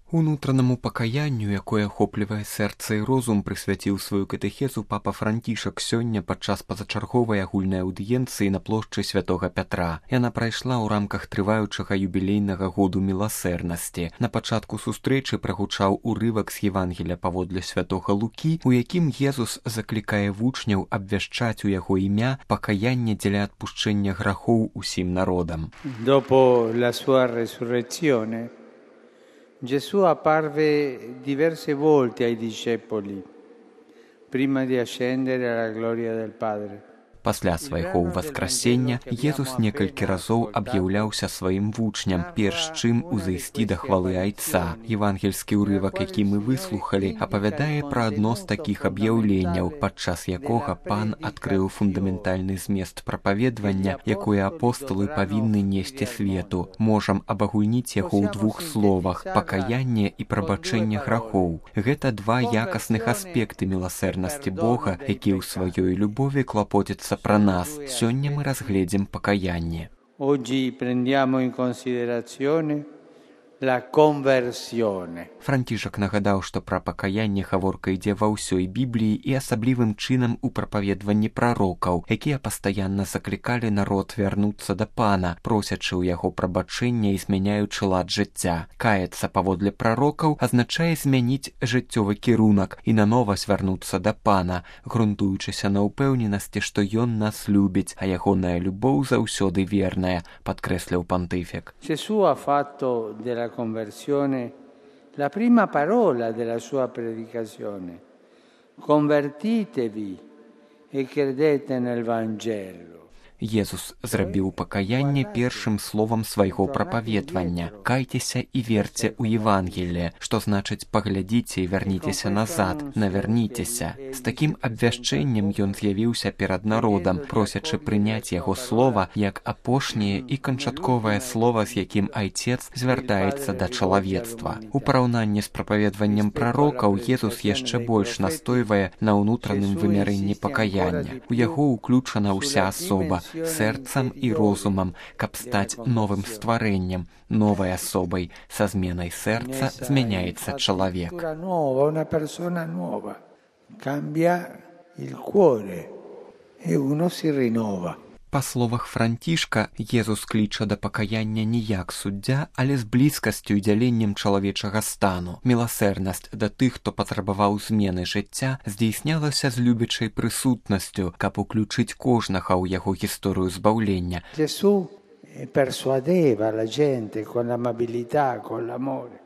Унутранаму пакаянню, якое ахоплівае сэрца і розум, прысвяціў сваю катэхезу папа Францішак сёння падчас пазачарговай агульнай аўдыенцыі на плошчы святога Пятра. Яна прайшла ў рамках трываючага юбілейнага году міласэрнасці. На пачатку сустрэчы прагучаў урывак з Евангелля паводле святога Лукі, у якім Езус заклікае вучняў абвяшчаць у яго імя пакаянне дзеля адпушчэння грахоў усім народам. Dopo la sua resurrezione, Gesù apparve diverse volte ai discepoli prima di ascendere alla gloria del Padre. Пасля свайго ўваскрасення Езус некалькі разоў аб'яўляўся сваім вучням, перш чым узайсці да хвалы Айца. Евангельскі ўрывак, які мы выслухалі, апавядае пра адно з такіх аб'яўленняў, падчас якога Пан адкрыў фундаментальны змест прапаведвання, якое апосталы павінны несці свету. Можам абагульніць яго ў двух словах: пакаянне і прабачэнне грахоў. Гэта два якасных аспекты міласэрнасці Бога, які ў сваёй любові клапоціцца про нас. Сёння мы разгледзім пакаянне. Oggi prendiamo in considerazione la conversione. Францішак нагадаў, што пра пакаянне гаворка ідзе ва ўсёй Бібліі і асаблівым чынам у прапаведванні прарокаў, якія пастаянна заклікалі народ вярнуцца да Пана, просячы ў яго прабачэння і змяняючы лад жыцця. Каяцца паводле прарокаў азначае змяніць жыццёвы кірунак і нанова звярнуцца да Пана, грунтуючыся на ўпэўненасці, што Ён нас любіць, а ягоная любоў заўсёды верная, падкрэсліў пантыфік. Gesù ha fatto della conversione la prima parola della sua predicazione. Convertitevi e credete nel Vangelo. Езус зрабіў пакаянне першым словам свайго прапаведвання. Кайцеся і верце ў Евангелле, што значыць паглядзіце і вярніцеся назад, навярніцеся. З такім абвяшчэннем ён з'явіўся перад народам, просячы прыняць яго слова як апошняе і канчатковае слова, з якім Айцец звяртаецца да чалавецтва. У параўнанні з прапаведваннем прарокаў Езус яшчэ больш настойвае на ўнутраным вымярэнні пакаяння. У яго ўключана ўся асоба, сэрцам і розумам, каб стаць новым стварэннем, новай асобай. Са зменай сэрца змяняецца чалавек. Una persona nuova. Cambia il cuore e uno si rinnova. Па словах Францішка, Езус кліча да пакаяння не як суддзя, але з блізкасцю і дзяленнем чалавечага стану. Міласэрнасць да тых, хто патрабаваў змены жыцця, здзейснялася з любячай прысутнасцю, каб уключыць кожнага ў яго гісторыю збаўлення. Gesù persuadeva la gente con l'amabilità, con l'amore.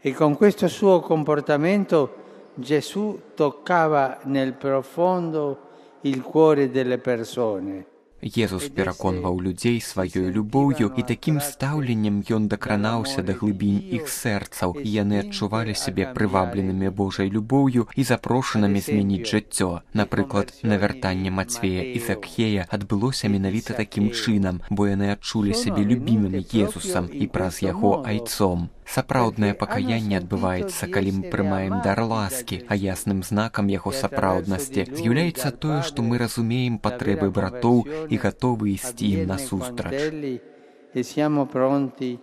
E con questo suo comportamento Gesù toccava nel profondo il cuore delle persone. Езус пераконваў людзей сваёй любоўю, і такім стаўленнем ён дакранаўся да глыбінь іх сэрцаў, і яны адчувалі сябе прывабленымі Божай любоўю і запрошанымі змяніць жыццё. Напрыклад, навяртанне Мацвея і Закхея адбылося менавіта такім чынам, бо яны адчулі сябе любімымі Езусам і праз яго Айцом. Сапраўднае пакаянне адбываецца, калі мы прымаем дар ласкі, а ясным знакам яго сапраўднасці з'яўляецца тое, што мы разумеем патрэбы братоў і гатовы ісці ім насустрач. E siamo pronti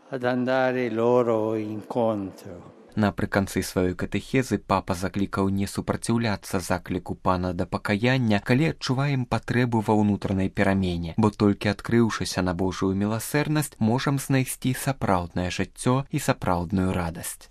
ad andare loro incontro. Напрыканцы сваёй катэхезы папа заклікаў не супраціўляцца закліку Пана да пакаяння, калі адчуваем патрэбу ва ўнутранай перамене, бо толькі адкрыўшыся на Божую міласэрнасць, можам знайсці сапраўднае жыццё і сапраўдную радасць.